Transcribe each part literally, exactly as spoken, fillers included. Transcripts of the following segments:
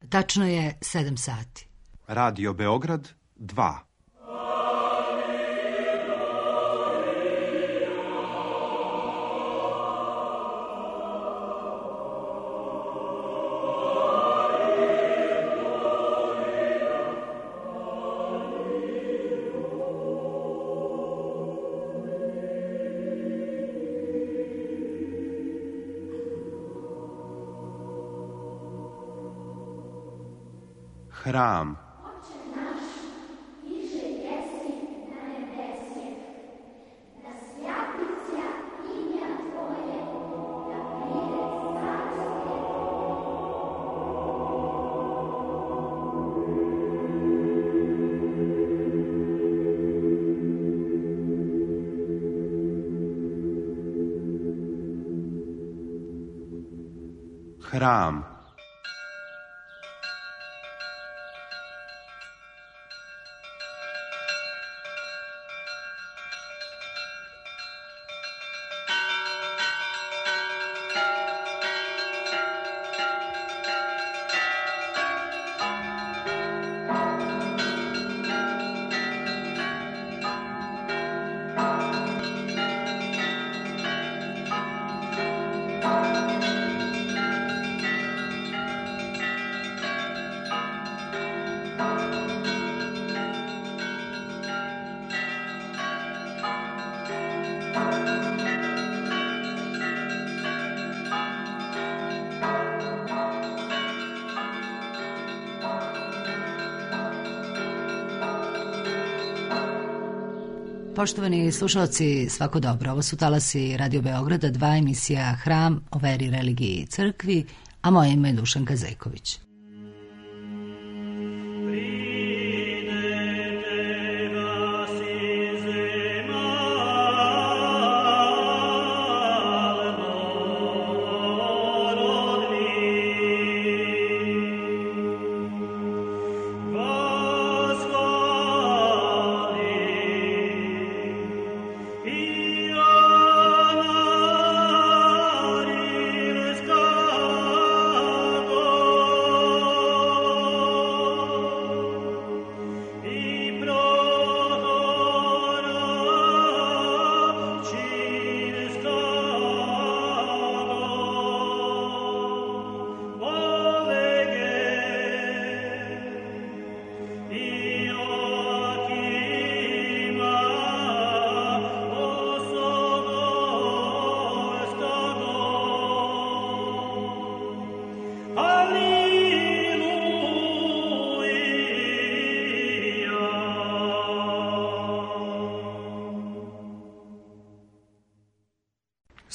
Tačno je sedam sati. Radio Beograd dva. Hram. Hram. Poštovani slušalci, svako dobro. Ovo su talasi Radio Beograda, dva, emisija Hram o veri, religiji i crkvi, a moje ime je Dušanka Zejković.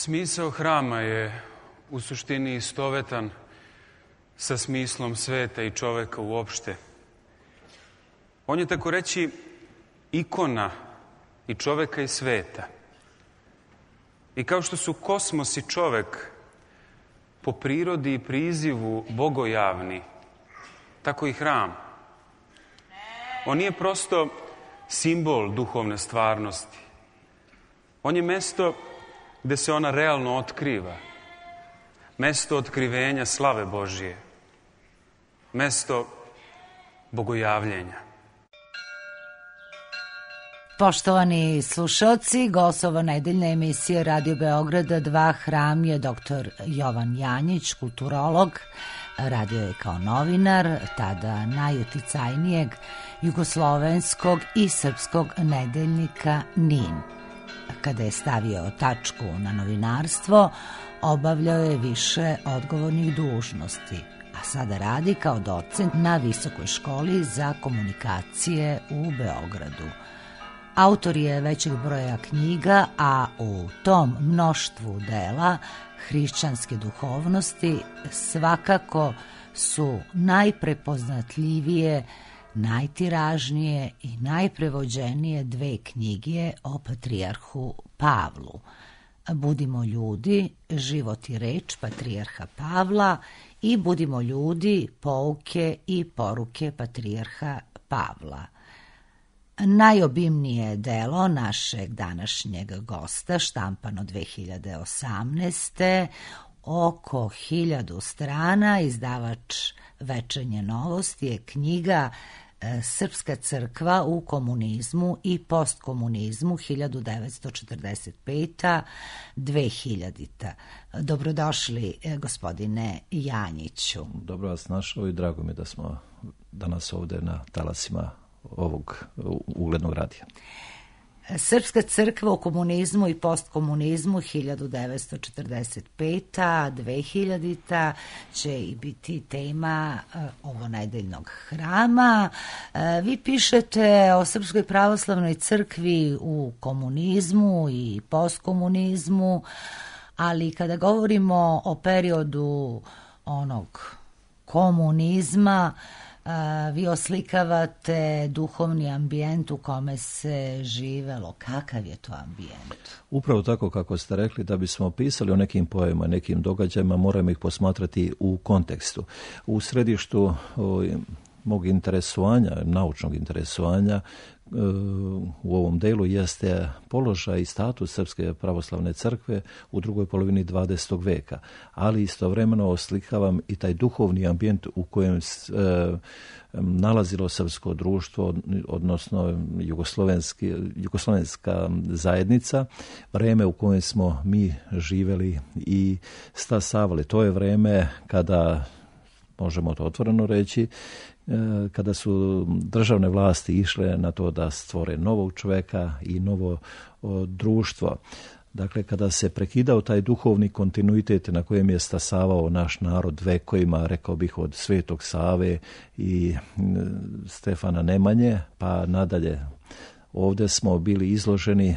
Smisao hrama je u suštini istovetan sa smislom sveta i čoveka uopšte. On je, tako reći, ikona i čoveka i sveta. I kao što su kosmos i čovek po prirodi i prizivu bogojavni, tako i hram. On nije prosto simbol duhovne stvarnosti. On je mesto gde se ona realno otkriva. Mesto otkrivenja slave Božije. Mesto bogojavljenja. Poštovani slušalci, gost ovo nedeljne emisije Radio Beograda dva Hram je doktor Jovan Janjić, kulturolog. Radio je kao novinar, tada najuticajnijeg jugoslovenskog i srpskog nedeljnika NIN. Kada je stavio tačku na novinarstvo, obavljao je više odgovornih dužnosti, a sada radi kao docent na Visokoj školi za komunikacije u Beogradu. Autor je većeg broja knjiga, a u tom mnoštvu dela hrišćanske duhovnosti svakako su najprepoznatljivije, najtiražnije i najprevođenije dve knjige o patrijarhu Pavlu. Budimo ljudi, život i reč patrijarha Pavla i Budimo ljudi, pouke i poruke patrijarha Pavla. Najobimnije delo našeg današnjeg gosta, štampano dve hiljade osamnaeste. oko hiljadu strana. Izdavač Večernje novosti je knjiga Srpska crkva u komunizmu i postkomunizmu hiljadu devetsto četrdeset peta do dve hiljadite. Dobrodošli, gospodine Janjiću. Dobro vas našao i drago mi da smo danas ovdje na talasima ovog uglednog radija. Srpska crkva u komunizmu i postkomunizmu hiljadu devetsto četrdeset peta do dve hiljadite će i biti tema ovonedeljnog hrama. Vi pišete o Srpskoj pravoslavnoj crkvi u komunizmu i postkomunizmu, ali kada govorimo o periodu onog komunizma, vi oslikavate duhovni ambijent u kome se živelo. Kakav je to ambijent? Upravo tako kako ste rekli, da bismo pisali o nekim pojavama, nekim događajima, moramo ih posmatrati u kontekstu. U središtu o, mog interesovanja, naučnog interesovanja u ovom delu jeste položaj i status Srpske pravoslavne crkve u drugoj polovini dvadesetog veka, ali istovremeno oslikavam i taj duhovni ambijent u kojem se e, nalazilo srpsko društvo, odnosno jugoslovenski, jugoslovenska zajednica, vreme u kojem smo mi živjeli i stasavali. To je vreme kada, možemo to otvoreno reći, kada su državne vlasti išle na to da stvore novog čovjeka i novo o, društvo. Dakle, kada se prekidao taj duhovni kontinuitet na kojem je stasavao naš narod vekovima, rekao bih od Svetog Save i Stefana Nemanje, pa nadalje. Ovdje smo bili izloženi e,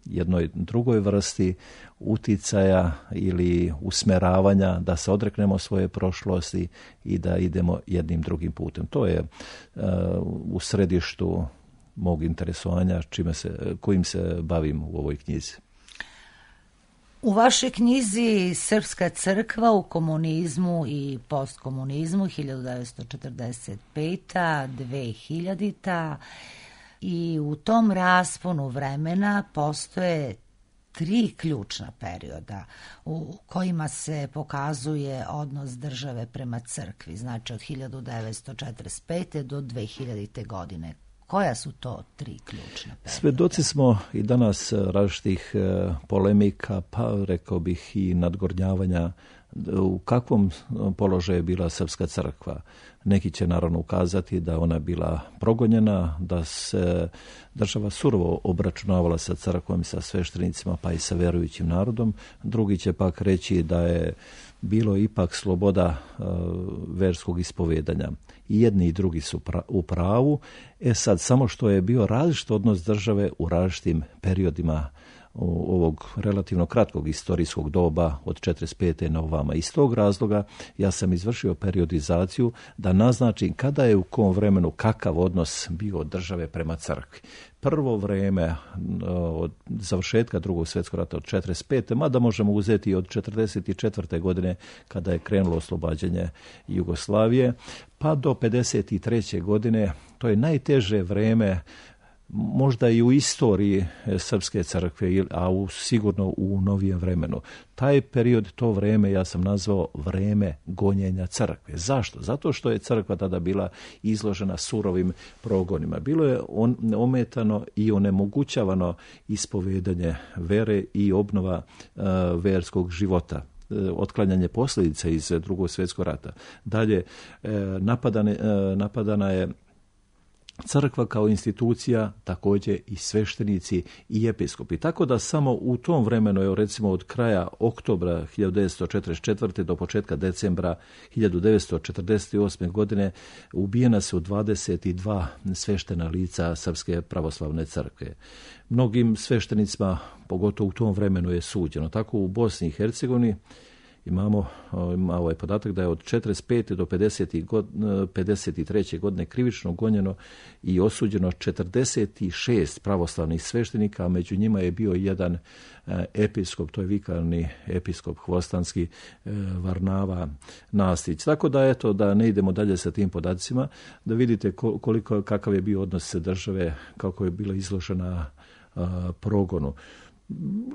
jednoj drugoj vrsti uticaja ili usmeravanja da se odreknemo svoje prošlosti i da idemo jednim drugim putem. To je uh, u središtu mog interesovanja čime se, kojim se bavim u ovoj knjizi. U vašoj knjizi Srpska crkva u komunizmu i postkomunizmu hiljadu devetsto četrdeset peta do dve hiljadite i u tom rasponu vremena postoje tri ključna perioda u kojima se pokazuje odnos države prema crkvi, znači od hiljadu devetsto četrdeset pete do dve hiljadite godine. Koja su to tri ključna perioda? Svedoci smo i danas različitih polemika, pa rekao bih i nadgornjavanja u kakvom položaju je bila Srpska crkva. Neki će naravno ukazati da ona bila progonjena, da se država surovo obračunavala sa crkvom i sa sveštenicima, pa i sa verujućim narodom. Drugi će pak reći da je bilo ipak sloboda uh, verskog ispovedanja. I jedni i drugi su pra- u pravu. E sad, samo što je bio različit odnos države u različitim periodima ovog relativno kratkog istorijskog doba od četrdeset pete na ovama. Iz tog razloga ja sam izvršio periodizaciju da naznačim kada je u kom vremenu kakav odnos bio od države prema crkvi. Prvo vreme od završetka drugog svjetskog rata od četrdeset pete mada možemo uzeti od četrdeset četvrte godine kada je krenulo oslobađanje Jugoslavije, pa do pedeset treće godine, to je najteže vreme možda i u istoriji Srpske crkve, a u, sigurno u novijem vremenu. Taj period, to vreme ja sam nazvao vreme gonjenja crkve. Zašto? Zato što je crkva tada bila izložena surovim progonima. Bilo je on, ometano i onemogućavano ispovedanje vere i obnova uh, verskog života, otklanjanje posljedica iz drugog svjetskog rata. Dalje, napadane, napadana je crkva kao institucija, također i sveštenici i episkopi. Tako da samo u tom vremenu, evo recimo od kraja oktobra hiljadu devetsto četrdeset četvrte do početka decembra hiljadu devetsto četrdeset osme godine ubijena su dvadeset dva sveštena lica Srpske pravoslavne crkve. Mnogim sveštenicima, pogotovo u tom vremenu, je suđeno. Tako u Bosni i Hercegovini imamo ima ovaj podatak da je od četrdeset pete do pedeset treće godine krivično gonjeno i osuđeno četrdeset šest pravoslavnih sveštenika, a među njima je bio jedan episkop, to je vikarni episkop Hvostanski, Varnava Nastić. Tako da eto, da ne idemo dalje sa tim podacima, da vidite koliko, kakav je bio odnos države, kako je bila izložena progonu.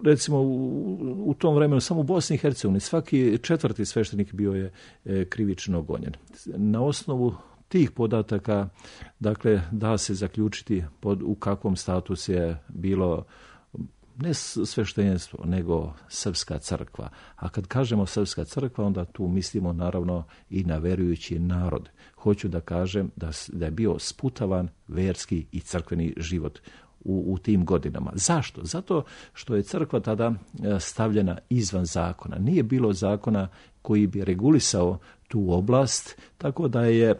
recimo u, u tom vremenu samo u Bosni i Hercegovini svaki četvrti sveštenik bio je e, krivično gonjen. Na osnovu tih podataka, dakle, da se zaključiti pod, u kakvom statusu je bilo ne sveštenstvo, nego srpska crkva. A kad kažemo srpska crkva, onda tu mislimo naravno i na verujući narod. Hoću da kažem da, da je bio sputavan verski i crkveni život u, u tim godinama. Zašto? Zato što je crkva tada stavljena izvan zakona. Nije bilo zakona koji bi regulisao tu oblast, tako da je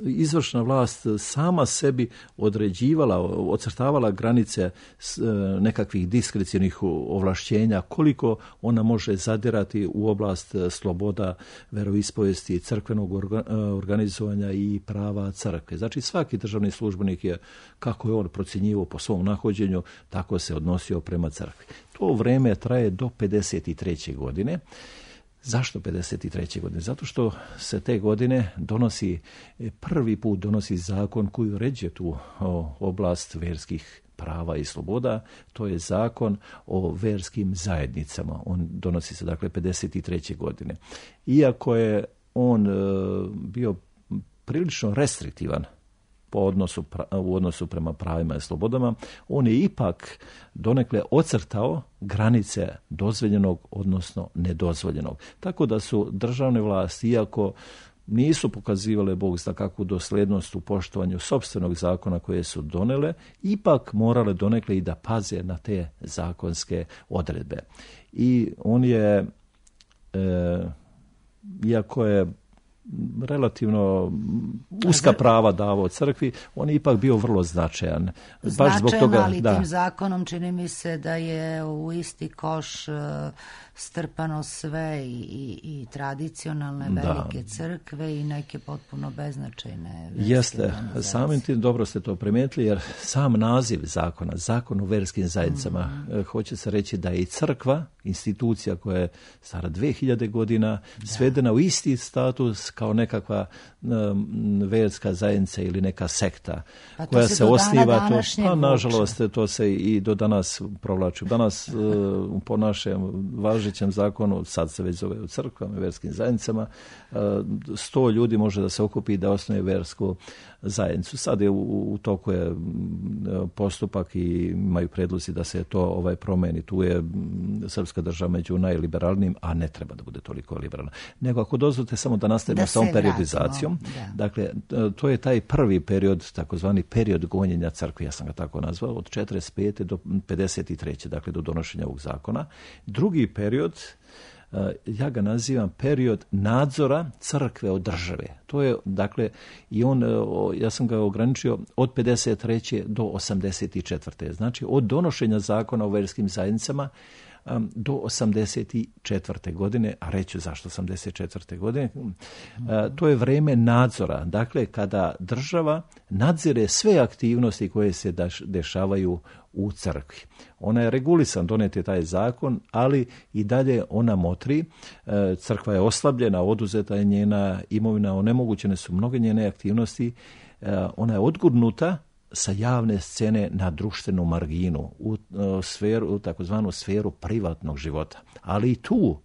izvršna vlast sama sebi određivala, ocrtavala granice nekakvih diskrecionih ovlašćenja, koliko ona može zadirati u oblast sloboda veroispovesti, crkvenog organizovanja i prava crkve. Znači svaki državni službenik je, kako je on procjenjivao po svom nahođenju, tako se odnosio prema crkvi. To vreme traje do pedeset treće godine. Zašto pedeset treće godine? Zato što se te godine donosi, prvi put donosi zakon koji uređuje tu oblast verskih prava i sloboda. To je zakon o verskim zajednicama. On donosi se dakle pedeset treće godine. Iako je on bio prilično restriktivan po odnosu, u odnosu prema pravima i slobodama, on je ipak donekle ocrtao granice dozvoljenog, odnosno nedozvoljenog. Tako da su državne vlasti, iako nisu pokazivale Bog zna kakvu doslednost u poštovanju sopstvenog zakona koje su donele, ipak morale donekle i da paze na te zakonske odredbe. I on je, e, iako je relativno uska prava davao crkvi, on je ipak bio vrlo značajan. Baš značajan, zbog toga, ali da. Tim zakonom čini mi se da je u isti koš strpano sve i, i, i tradicionalne velike da. crkve i neke potpuno beznačajne verske Jeste, organizacije. Samim tim dobro ste to primijetili, jer sam naziv zakona, zakon o verskim zajednicama, mm-hmm. hoće se reći da je i crkva, institucija koja je stara dve hiljade godina, da. svedena u isti status kao nekakva um, verska zajednica ili neka sekta pa koja se, se osniva. To, pa nažalost to se i do danas provlači. Danas uh, po našem važećem zakonu, sad se već zove u crkvama, verskim zajednicama, uh, sto ljudi može da se okupi da osnuje versku zajednicu. Sad je u, u toku je postupak i imaju predlozi da se to ovaj promeni. Tu je srpska država među najliberalnijim, a ne treba da bude toliko liberalna. Nego ako dozvolite samo da nastavimo s ovom periodizacijom. Da. Dakle, to je taj prvi period, takozvani period gonjenja crkve, ja sam ga tako nazvao, od četrdeset pete do pedeset treće dakle do donošenja ovog zakona. Drugi period, ja ga nazivam period nadzora crkve od države. To je, dakle, i on, ja sam ga ograničio od pedeset treće do osamdeset četvrte Znači, od donošenja zakona o verskim zajednicama do osamdeset četvrte godine, a reću zašto osamdeset četvrte godine, to je vreme nadzora. Dakle, kada država nadzire sve aktivnosti koje se dešavaju u crkvi. Ona je regulisan, donet je taj zakon, ali i dalje ona motri. Crkva je oslabljena, oduzeta je njena imovina, onemogućene su mnoge njene aktivnosti. Ona je odgurnuta sa javne scene na društvenu marginu, u, u, sferu, u takozvanu sferu privatnog života. Ali i tu,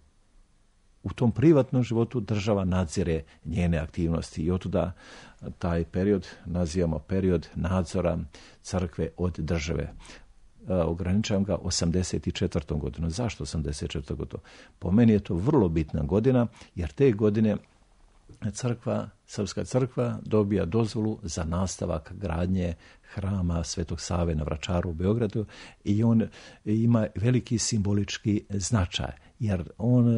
u tom privatnom životu, država nadzire njene aktivnosti i otuda taj period nazivamo period nadzora crkve od države. Ograničavam ga osamdeset četvrtom godinom. Zašto osamdeset četvrta godina? Po meni je to vrlo bitna godina, jer te godine crkva, srpska crkva dobija dozvolu za nastavak gradnje hrama Svetog Save na Vračaru u Beogradu i on ima veliki simbolički značaj, jer on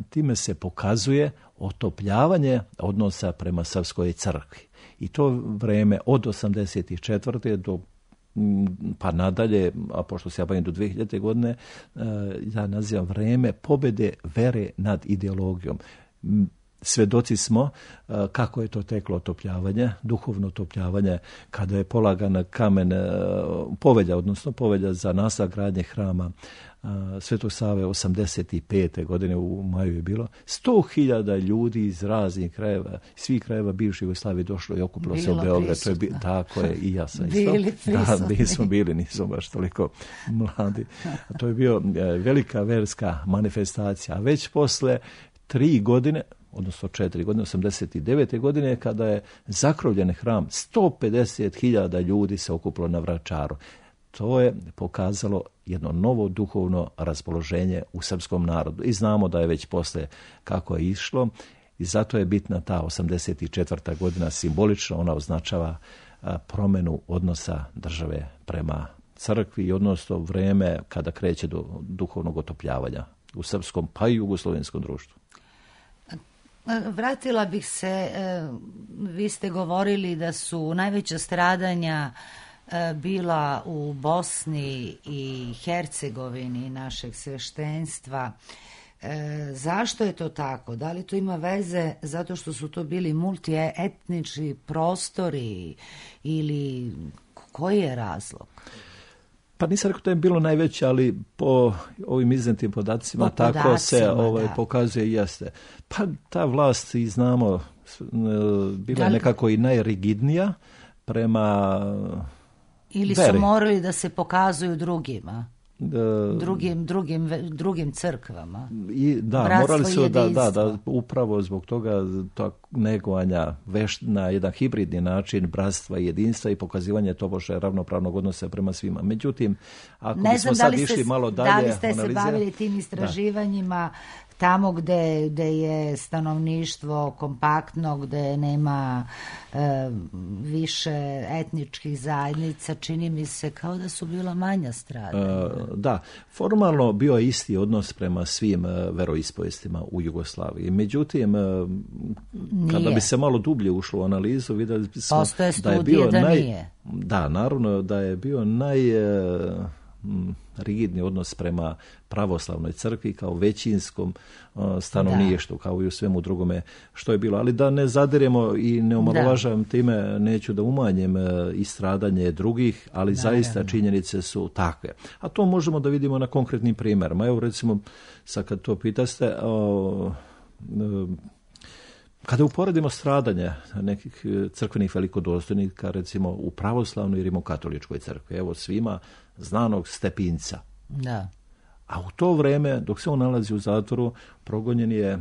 time se pokazuje otopljavanje odnosa prema srpskoj crkvi. I to vreme od osamdeset četvrte do pa nadalje, a pošto se ja bavim do dve hiljade godine, ja nazivam vreme pobjede vere nad ideologijom. Svedoci smo kako je to teklo otopljavanje, duhovno otopljavanje, kada je polagan kamen povelja, odnosno povelja za nastavak gradnje hrama Svetog Save osamdeset pete godine u maju je bilo. Sto hiljada ljudi iz raznih krajeva, svih krajeva bivše Jugoslavije došlo i okupilo se u Beograd. To je bi, tako je, i ja sam isto. Bili prisutni. Da, mi smo bili, nismo baš toliko mladi. To je bio velika verska manifestacija. A već posle tri godine, odnosno četiri godine, osamdeset devete godine, kada je zakrovljen hram, sto pedeset hiljada ljudi se okupilo na Vračaru. To je pokazalo jedno novo duhovno raspoloženje u srpskom narodu. I znamo da je već posle kako je išlo i zato je bitna ta osamdeset četvrta godina simbolično, ona označava promjenu odnosa države prema crkvi i odnosno vreme kada kreće do duhovnog otopljavanja u srpskom pa i jugoslovenskom društvu. Vratila bih se, vi ste govorili da su najveća stradanja bila u Bosni i Hercegovini našeg sveštenstva. E, zašto je to tako? Da li to ima veze zato što su to bili multietnički prostori ili koji je razlog? Pa nisam rekao da je bilo najveće, ali po ovim iznetim podacima po tako podacima, se ovaj, pokazuje i jeste. Pa ta vlast, i znamo, bila je nekako i najrigidnija prema ili su veri. Morali da se pokazuju drugima, uh, drugim, drugim, drugim crkvama. I, da, Bratstvo morali su da, da, da, upravo zbog toga to negovanja veš, na jedan hibridni način bratstva i jedinstva i pokazivanje tobože ravnopravnog odnosa prema svima. Međutim, ako ne bismo znam, sad išli se, malo dalje... Da li ste analize, se bavili tim istraživanjima da. Tamo gde, gde je stanovništvo kompaktno, gde nema e, više etničkih zajednica, čini mi se kao da su bila manja stradanja. E, da, formalno bio je isti odnos prema svim e, veroispovestima u Jugoslaviji. Međutim, e, kada bi se malo dublje ušlo u analizu, vidjeli smo Postoje da je bio da naj... nije. Da, naravno da je bio naj... E, rigidni odnos prema pravoslavnoj crkvi kao većinskom uh, stanovništvu, kao i u svemu drugome što je bilo. Ali da ne zadiremo i ne omalovažavam time, neću da umanjem uh, i stradanje drugih, ali da, zaista ne, činjenice su takve. A to možemo da vidimo na konkretnim primjerima. Evo recimo, sad kad to pitaste, uh, uh, kada uporedimo stradanje nekih crkvenih velikodostojnika, recimo u pravoslavnoj i rimokatoličkoj crkvi, evo svima znanog Stepinca. Da. A u to vreme, dok se on nalazi u zatvoru, progonjen je e,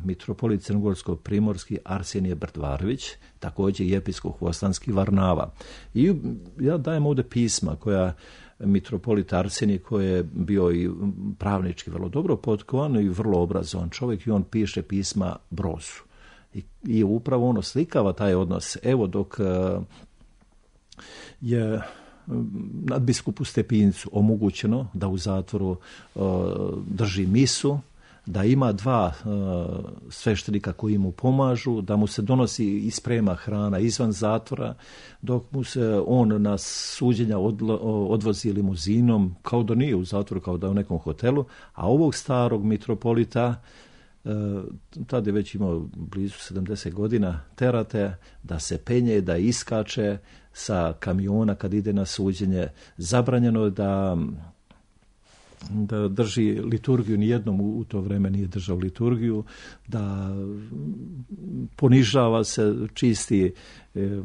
mitropolit crnogorsko-primorski Arsenije Brdvarović, također i episkop Hvostanski Varnava. I ja dajem ovdje pisma koja mitropolit Arsenije, koji je bio i pravnički vrlo dobro potkovan i vrlo obrazovan čovjek, i on piše pisma Brozu. I, i upravo ono slikava taj odnos. Evo dok e, je nadbiskupu Stepincu omogućeno da u zatvoru uh, drži misu, da ima dva uh, sveštenika koji mu pomažu, da mu se donosi i sprema hrana izvan zatvora, dok mu se on na suđenja odlo, odvozi limuzinom, kao da nije u zatvoru, kao da je u nekom hotelu, a ovog starog mitropolita, uh, tada je već imao blizu sedamdeset godina, terate da se penje, da iskače sa kamiona kad ide na suđenje. Zabranjeno je da, da drži liturgiju, nijednom u to vrijeme nije držao liturgiju, da ponižava se, čisti e,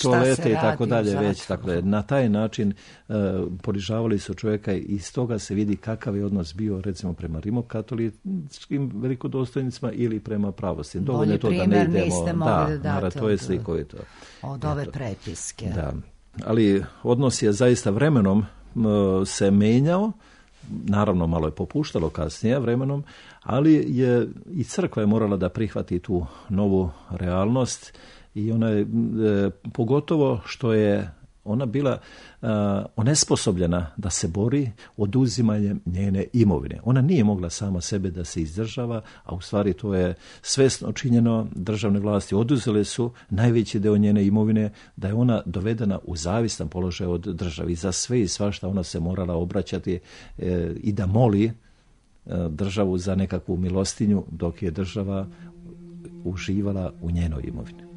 toalete i tako dalje. Već, tako dalje. Na taj način e, ponižavali su čovjeka i iz toga se vidi kakav je odnos bio recimo prema rimokatoličkim velikodostojnicima ili prema pravoslavnim. Dovoljno je to da ne idemo. Da, da, to je slikovito. Od ove prepiske. Da. Ali odnos je zaista vremenom se menjao, naravno malo je popuštalo kasnije vremenom, ali je i crkva je morala da prihvati tu novu realnost i ona je, e, pogotovo što je ona bila uh, onesposobljena da se bori oduzimanjem njene imovine. Ona nije mogla sama sebe da se izdržava, a u stvari to je svesno činjeno. Državne vlasti oduzele su najveći deo njene imovine, da je ona dovedena u zavistan položaj od države. I za sve i svašta ona se morala obraćati e, i da moli državu za nekakvu milostinju, dok je država uživala u njenoj imovini.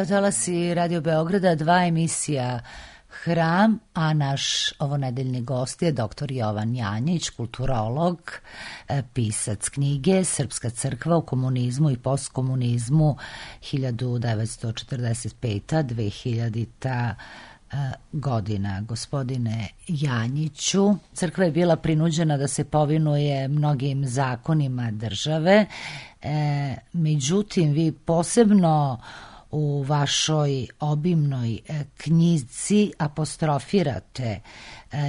Talasi Radio Beograda, dva emisija Hram, a naš ovonedeljni gost je doktor Jovan Janjić, kulturolog, pisac knjige Srpska crkva u komunizmu i postkomunizmu hiljadu devetsto četrdeset peta do dve hiljadite godina. Gospodine Janjiću, crkva je bila prinuđena da se povinuje mnogim zakonima države, e, međutim vi posebno u vašoj obimnoj knjizi apostrofirate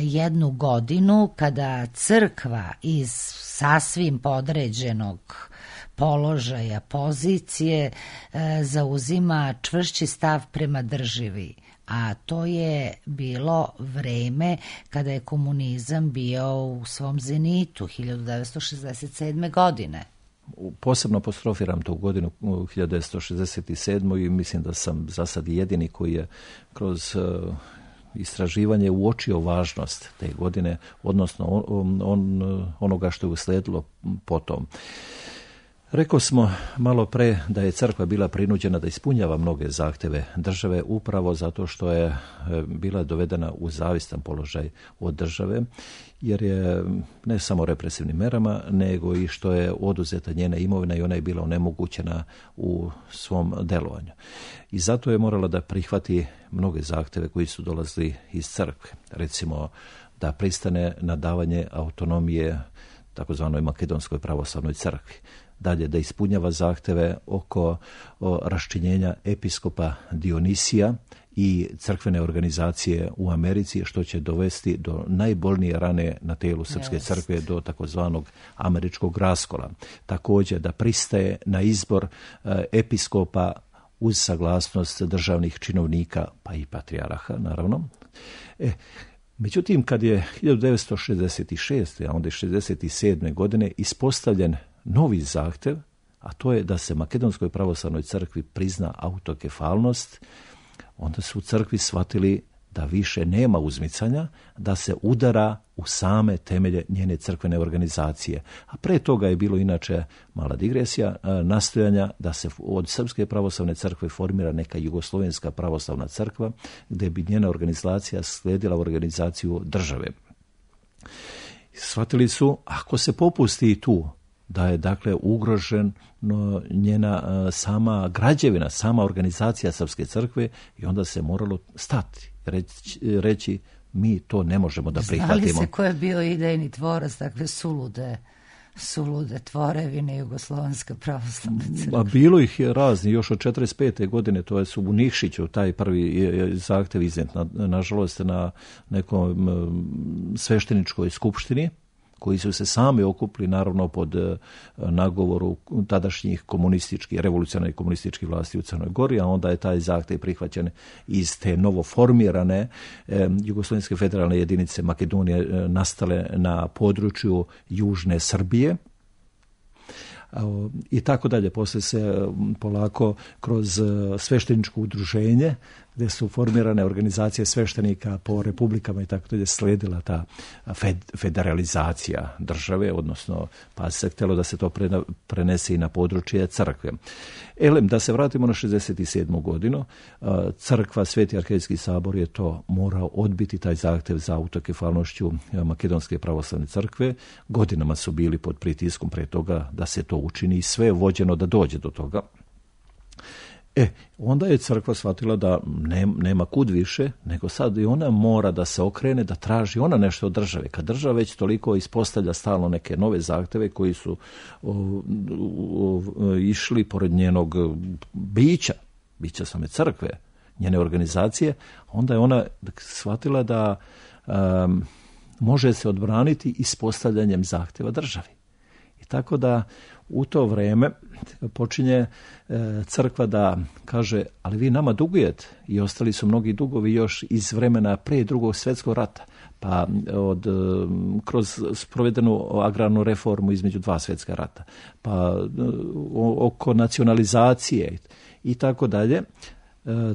jednu godinu kada crkva iz sasvim podređenog položaja, pozicije zauzima čvršći stav prema državi, a to je bilo vreme kada je komunizam bio u svom zenitu, hiljadu devetsto šezdeset sedme. godine. Posebno apostrofiram tu godinu hiljadu devetsto šezdeset sedmu. i mislim da sam za sad jedini koji je kroz uh, istraživanje uočio važnost te godine, odnosno on, on, onoga što je usledilo potom. Rekao smo malo pre da je crkva bila prinuđena da ispunjava mnoge zahteve države upravo zato što je bila dovedena u zavistan položaj od države, jer je ne samo represivnim merama, nego i što je oduzeta njena imovina i ona je bila onemogućena u svom delovanju. I zato je morala da prihvati mnoge zahteve koji su dolazili iz crkve. Recimo da pristane na davanje autonomije takozvanoj Makedonskoj pravoslavnoj crkvi. Dalje, da ispunjava zahteve oko o, raščinjenja episkopa Dionisija i crkvene organizacije u Americi, što će dovesti do najbolnije rane na telu Srpske yes. crkve, do takozvanog američkog raskola. Također da pristaje na izbor e, episkopa uz saglasnost državnih činovnika, pa i patrijaraha, naravno. E, međutim, kad je hiljadu devetsto šezdeset šeste. a onda šezdeset sedme. godine ispostavljen novi zahtev, a to je da se Makedonskoj pravoslavnoj crkvi prizna autokefalnost, onda su u crkvi shvatili da više nema uzmicanja, da se udara u same temelje njene crkvene organizacije. A pre toga je bilo inače mala digresija, nastojanja da se od Srpske pravoslavne crkve formira neka Jugoslovenska pravoslavna crkva, gde bi njena organizacija slijedila organizaciju države. Shvatili su, ako se popusti i tu, da je dakle ugrožen no, njena uh, sama građevina, sama organizacija Srpske crkve, i onda se moralo stati, reći, reći mi to ne možemo da prihvatimo. Znali se ko je bio idejni tvorac takve sulude sulude tvorevine Jugoslovenska pravoslavna crkva. A bilo ih je razni, još od četrdeset pete godine, to je su u Nikšiću, taj prvi zahtev iznet, na, nažalost, na nekom svešteničkoj skupštini, koji su se sami okupili, naravno, pod nagovoru tadašnjih komunističkih, revolucionarnih komunističkih vlasti u Crnoj Gori, a onda je taj zahtev prihvaćen iz te novoformirane eh, Jugoslovenske federalne jedinice Makedonije eh, nastale na području Južne Srbije. I tako dalje. Poslije se polako kroz svešteničko udruženje, gdje su formirane organizacije sveštenika po republikama i tako dalje, sledila ta fed, federalizacija države, odnosno pa se htjelo da se to prenese i na područje crkve. Elem, da se vratimo na šezdeset sedmu godinu, crkva, Sveti arhijejski sabor je to morao odbiti, taj zahtjev za autokefalnošću Makedonske pravoslavne crkve. Godinama su bili pod pritiskom pre toga da se to učini i sve je vođeno da dođe do toga. E, onda je crkva shvatila da ne, nema kud više, nego sad i ona mora da se okrene, da traži ona nešto od države. Kad država već toliko ispostavlja stalno neke nove zahteve koji su o, o, o, išli pored njenog bića, bića same crkve, njene organizacije, onda je ona shvatila da um, može se odbraniti ispostavljanjem zahteva državi. I tako da u to vrijeme počinje e, crkva da kaže, ali vi nama dugujete, i ostali su mnogi dugovi još iz vremena pre drugog svjetskog rata, pa od, kroz sprovedenu agrarnu reformu između dva svjetska rata, pa o, oko nacionalizacije i tako dalje,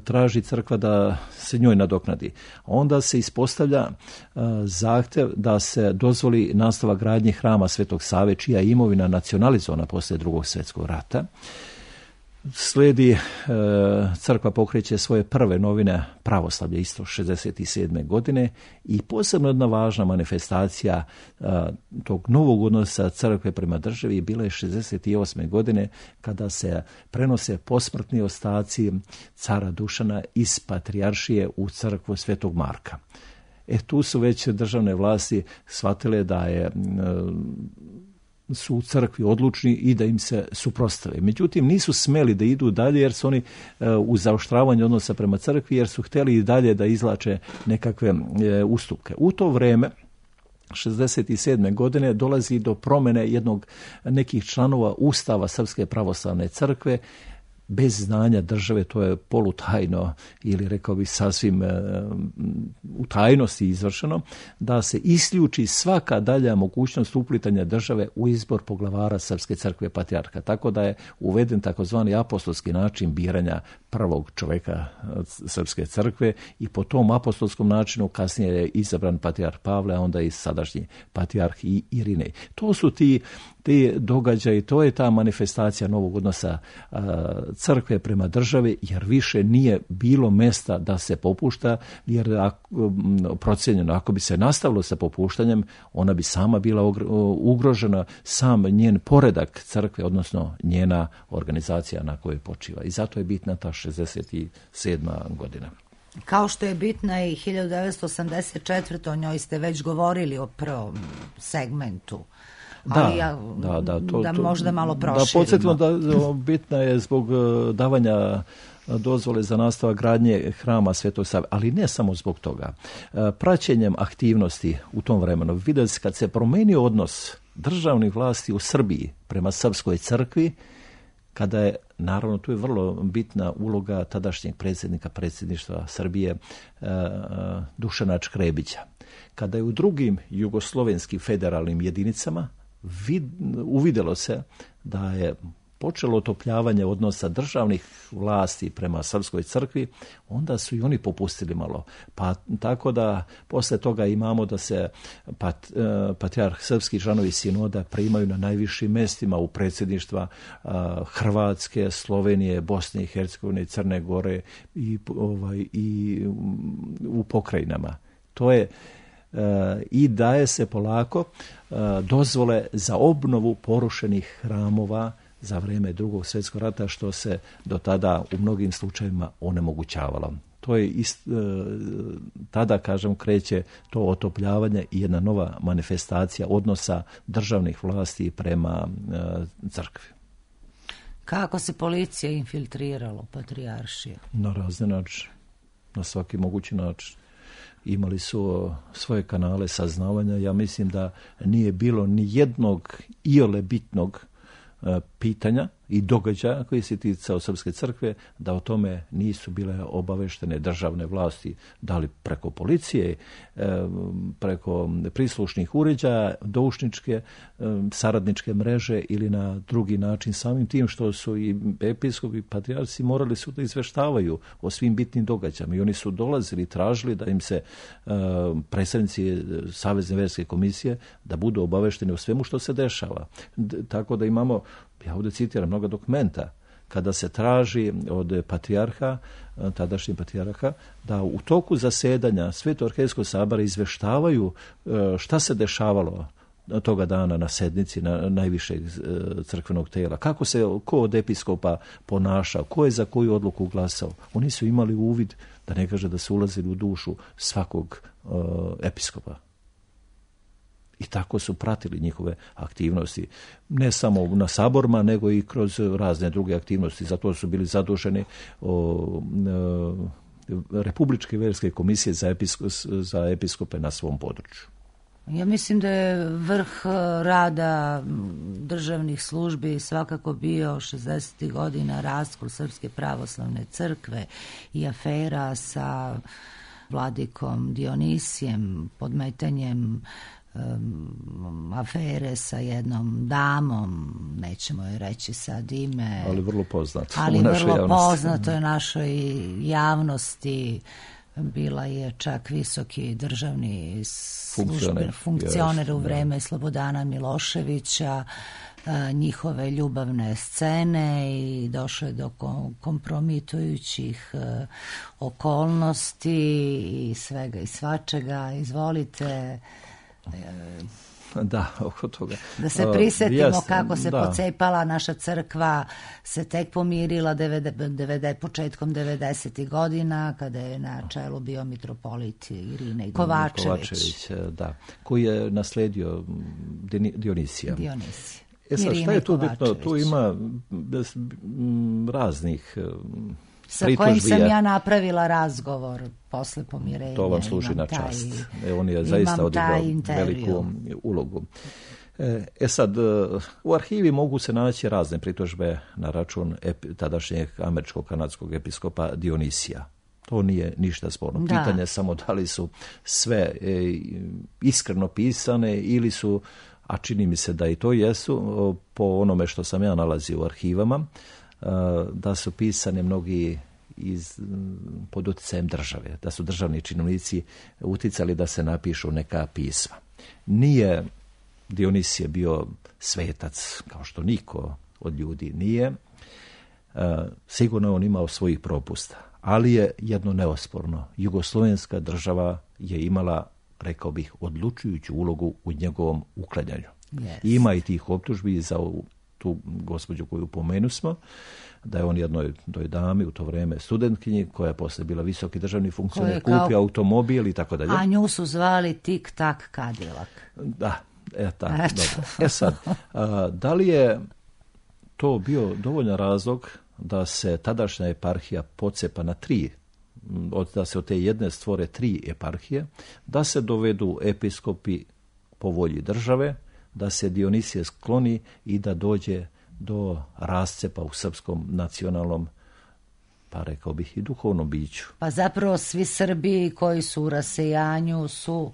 traži crkva da se njoj nadoknadi. Onda se ispostavlja uh, zahtjev da se dozvoli nastavak gradnje hrama Svetog Save, čija je imovina nacionalizovana poslije drugog svjetskog rata. Slijedi, uh, crkva pokreće svoje prve novine pravoslavlje isto šezdeset sedme godine i posebno jedna važna manifestacija uh, tog novog odnosa crkve prema državi bila je šezdeset osme godine kada se prenose posmrtni ostaci cara Dušana iz patrijaršije u crkvu Svetog Marka. E tu su već državne vlasti shvatile da je uh, su u crkvi odlučni i da im se suprotstave. Međutim, nisu smeli da idu dalje jer su oni e, u zaoštravanju odnosa prema crkvi, jer su htjeli i dalje da izlače nekakve e, ustupke. U to vrijeme, šezdeset sedme godine, dolazi do promjene jednog nekih članova Ustava Srpske pravoslavne crkve, bez znanja države, to je polutajno ili rekao bih sasvim e, u tajnosti izvršeno, da se isključi svaka dalja mogućnost uplitanja države u izbor poglavara Srpske crkve patrijarha. Tako da je uveden takozvani apostolski način biranja prvog čovjeka Srpske crkve i po tom apostolskom načinu kasnije je izabran patrijarh Pavle, a onda i sadašnji patrijarh i Irinej. To su ti te događaje, to je ta manifestacija novog odnosa a, crkve prema državi, jer više nije bilo mesta da se popušta, jer ako, procijenjeno, ako bi se nastavilo sa popuštanjem, ona bi sama bila ugrožena, sam njen poredak crkve, odnosno njena organizacija na kojoj počiva. I zato je bitna ta šezdeset sedma godina. Kao što je bitna i hiljadu devetsto osamdeset četvrte. o njoj ste već govorili o prvom segmentu. Da, ali ja, da, da, to, da to, možda malo proširimo. Da podsjetimo da bitna je zbog davanja dozvole za nastavak gradnje hrama Svetog Save, ali ne samo zbog toga. Praćenjem aktivnosti u tom vremenu vidjeli se kad se promenio odnos državnih vlasti u Srbiji prema Srpskoj crkvi, kada je, naravno, tu je vrlo bitna uloga tadašnjeg predsjednika predsjedništva Srbije Dušana Škrebića. Kada je u drugim jugoslovenskim federalnim jedinicama vid, uvidjelo se da je počelo otopljavanje odnosa državnih vlasti prema Srpskoj crkvi, onda su i oni popustili malo. Pa tako da posle toga imamo da se pat, patrijarh srpski članovi sinoda primaju na najvišim mestima u predsjedništva Hrvatske, Slovenije, Bosne i Hercegovine, Crne Gore i, ovaj, i u pokrajinama. To je i daje se polako dozvole za obnovu porušenih hramova za vrijeme drugog svjetskog rata, što se do tada u mnogim slučajevima onemogućavalo. To je ist, tada, kažem, kreće to otopljavanje i jedna nova manifestacija odnosa državnih vlasti prema crkvi. Kako se policija infiltrirala u patrijaršiju? Na razne načine, na svaki mogući način. Imali su svoje kanale saznavanja. Ja mislim da nije bilo ni jednog iole bitnog pitanja i događaja koji se ticao Srpske crkve, da o tome nisu bile obaveštene državne vlasti, da li preko policije, preko prislušnih uređaja, doušničke, saradničke mreže ili na drugi način, samim tim što su i episkopi i patrijarsi morali su da izveštavaju o svim bitnim događajima i oni su dolazili i tražili da im se predstavnici Savezne verske komisije da budu obavešteni o svemu što se dešava. Tako da imamo, ja ovdje citiram mnoga dokumenta, kada se traži od patrijarha, tadašnjih patrijarha, da u toku zasedanja Sveto-Arhejskog sabora izveštavaju šta se dešavalo toga dana na sednici na najvišeg crkvenog tela, kako se ko od episkopa ponašao, ko je za koju odluku glasao. Oni su imali uvid, da ne kaže da su ulazili u dušu svakog uh, episkopa. I tako su pratili njihove aktivnosti. Ne samo na saborima, nego i kroz razne druge aktivnosti. Zato su bili zaduženi o, o, Republičke verske komisije za, episko, za episkope na svom području. Ja mislim da je vrh rada državnih službi svakako bio šezdesetih godina raskol Srpske pravoslavne crkve i afera sa vladikom Dionisijem, podmetanjem um, afere sa jednom damom, nećemo joj reći sad ime. Ali vrlo poznato. Ali vrlo poznato je našoj javnosti. Bila je čak visoki državni služben, funkcioner u vreme Slobodana Miloševića, njihove ljubavne scene i došlo je do kompromitujućih okolnosti i svega i svačega. Izvolite. Da, oko toga. Da se prisjetimo uh, kako se da. pocepala naša crkva, se tek pomirila devede, devede, početkom devedesetih godina, kada je na čelu bio mitropolit Irine Kovačević. Kovačević, da, koji je nasledio Dionisija. Dionisija. E sad, šta je tu bitno? Tu ima raznih sa kojim sam ja napravila razgovor posle pomirenja. To vam služi na čast. Taj, e, on je zaista odigrao veliku ulogu. E, e sad, u arhivi mogu se naći razne pritužbe na račun epi, tadašnjeg američko-kanadskog episkopa Dionisija. To nije ništa sporno. Da. Pitanje je samo da li su sve e, iskreno pisane ili su, a čini mi se da i to jesu, po onome što sam ja nalazio u arhivama, da su pisane mnogi iz, pod utjecajem države, da su državni činovnici uticali da se napišu neka pisma. Nije Dionisije bio svetac, kao što niko od ljudi nije. Sigurno on imao svojih propusta, ali je jedno neosporno. Jugoslovenska država je imala, rekao bih, odlučujuću ulogu u njegovom uklanjanju. Yes. Ima i tih optužbi za tu gospođu koju pomenu smo, da je on jednoj toj dami u to vrijeme studentkinji, koja je poslije bila visoki državni funkcioner, kupio kao automobil i tako dalje. A nju su zvali Tik-tak Cadillac. Da, e, tako, dobro. E sad, a, da li je to bio dovoljan razlog da se tadašnja eparhija pocepa na tri, da se od te jedne stvore tri eparhije, da se dovedu episkopi po volji države, da se Dionisije skloni i da dođe do rascepa u srpskom nacionalnom, pa rekao bih i duhovnom biću. Pa zapravo svi Srbi koji su u rasejanju su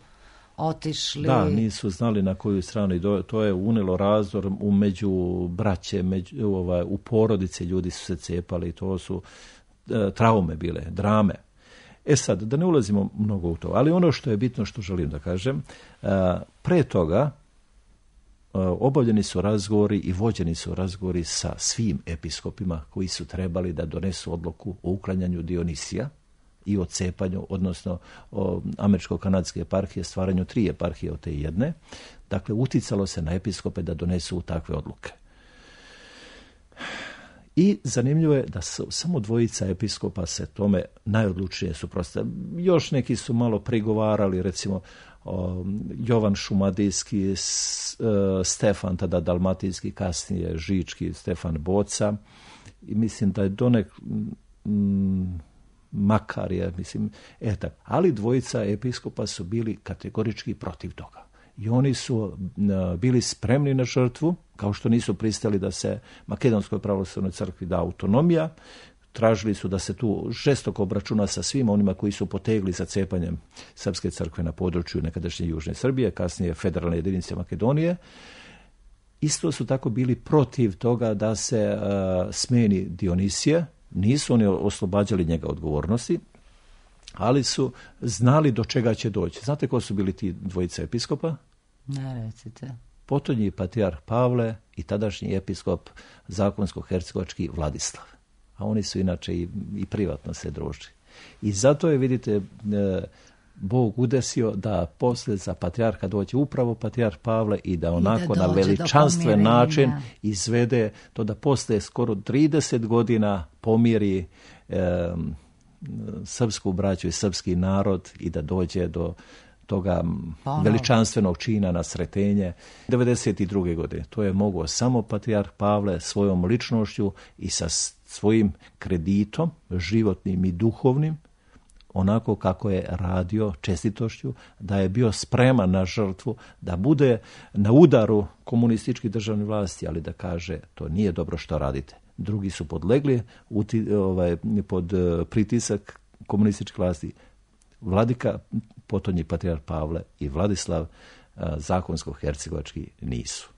otišli... Da, nisu znali na koju stranu. To je unelo razdor u među braće, među, ovaj, u porodice ljudi su se cepali. To su e, traume bile, drame. E sad, da ne ulazimo mnogo u to, ali ono što je bitno, što želim da kažem, e, pre toga obavljeni su razgovori i vođeni su razgovori sa svim episkopima koji su trebali da donesu odluku o uklanjanju Dionisija i o cepanju, odnosno o američko-kanadske eparhije, stvaranju tri eparhije od te jedne. Dakle, uticalo se na episkope da donesu takve odluke. I zanimljivo je da su samo dvojica episkopa se tome najodlučnije suprotstavili. Još neki su malo prigovarali, recimo o, Jovan Šumadijski, s, e, Stefan, tada dalmatinski, kasnije Žički, Stefan Boca. I mislim da je Donek m, Makar je, mislim, etak. Ali dvojica episkopa su bili kategorički protiv toga. I oni su bili spremni na žrtvu, kao što nisu pristali da se Makedonskoj pravoslavnoj crkvi da autonomija. Tražili su da se tu žestoko obračuna sa svima onima koji su potegli za cepanjem srpske crkve na području nekadašnje Južne Srbije, kasnije federalne jedinice Makedonije. Isto su tako bili protiv toga da se uh, smeni Dionisije. Nisu oni oslobađali njega odgovornosti, ali su znali do čega će doći. Znate ko su bili ti dvojice episkopa? Ne, recite. Potonji patrijarh Pavle i tadašnji episkop zakonsko-hercegovački Vladislav. A oni su inače i, i privatno se družili. I zato je, vidite, Bog udesio da posle za patrijarha dođe upravo patrijarh Pavle i da onako I da na veličanstven način izvede to da posle skoro trideset godina pomiri eh, srpsku braću i srpski narod i da dođe do toga Ponovo. veličanstvenog čina na sretenje. devedeset druge godine. To je mogao samo patrijarh Pavle svojom ličnošću i sa svojim kreditom, životnim i duhovnim, onako kako je radio, čestitošću, da je bio spreman na žrtvu, da bude na udaru komunističkih državnih vlasti, ali da kaže to nije dobro što radite. Drugi su podlegli uti, ovaj, pod pritisak komunističke vlasti. Vladika, potonji patrijarh Pavle i Vladislav zakonsko-hercegovački nisu.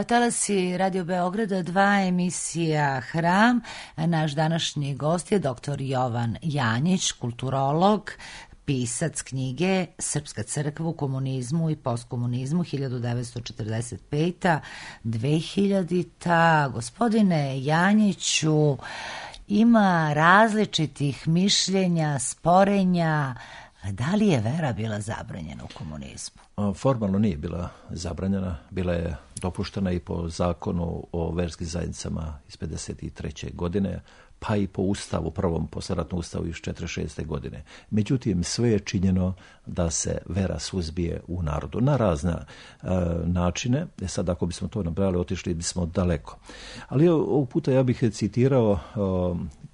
Talasi Radio Beograda dva, emisija Hram. Naš današnji gost je doktor Jovan Janjić, kulturolog, pisac knjige Srpska crkva u komunizmu i postkomunizmu hiljadu devetsto četrdeset peta do dvehiljadita. Gospodine Janjiću, ima različitih mišljenja, sporenja. Da li je vera bila zabranjena u komunizmu? Formalno nije bila zabranjena, bila je dopuštena i po zakonu o verskim zajednicama iz pedeset treće godine, pa i po ustavu, prvom posleratnom ustavu iz četrdeset šeste godine. Međutim, sve je činjeno da se vera suzbije u narodu na razne e, načine. E sad, ako bismo to nabrali, otišli bismo daleko. Ali ovog puta ja bih citirao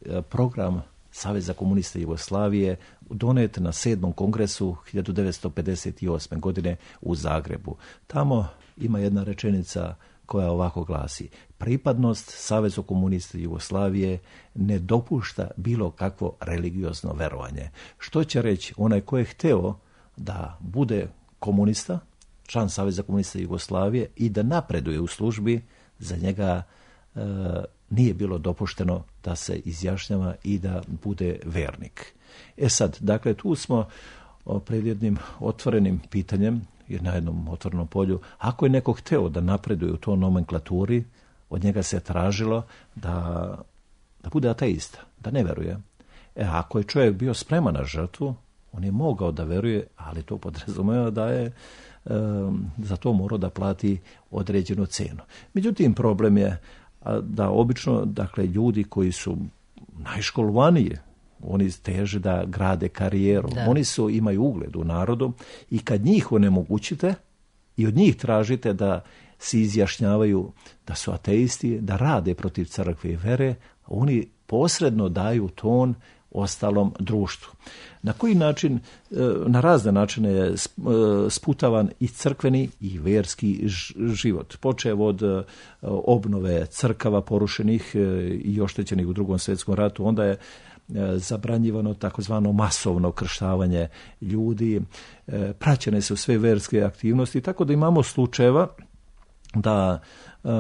e, program Saveza komunista Jugoslavije, donet na sedmom kongresu hiljadu devetsto pedeset osme godine u Zagrebu. Tamo ima jedna rečenica koja ovako glasi: pripadnost Savezu komunista Jugoslavije ne dopušta bilo kakvo religiozno verovanje. Što će reći, onaj ko je hteo da bude komunista, član Saveza komunista Jugoslavije i da napreduje u službi, za njega e, nije bilo dopušteno da se izjašnjava i da bude vernik. E sad, dakle, tu smo pred jednim otvorenim pitanjem, na jednom otvorenom polju. Ako je neko hteo da napreduje u toj nomenklaturi, od njega se tražilo da, da bude ateista, da ne veruje. E, ako je čovjek bio spreman na žrtvu, on je mogao da veruje, ali to podrazumeva da je e, za to morao da plati određenu cenu. Međutim, problem je da obično, dakle, ljudi koji su najškolovaniji, oni teže da grade karijeru. Da. Oni su, imaju ugled u narodu i kad njih onemogućite i od njih tražite da se izjašnjavaju da su ateisti, da rade protiv crkve i vere, oni posredno daju ton ostalom društvu. Na koji način, na razne načine je sputavan i crkveni i vjerski život. Počev od obnove crkava porušenih i oštećenih u Drugom svjetskom ratu, onda je zabranjivano takozvano masovno krštavanje ljudi, praćene su sve vjerske aktivnosti, tako da imamo slučajeva da uh,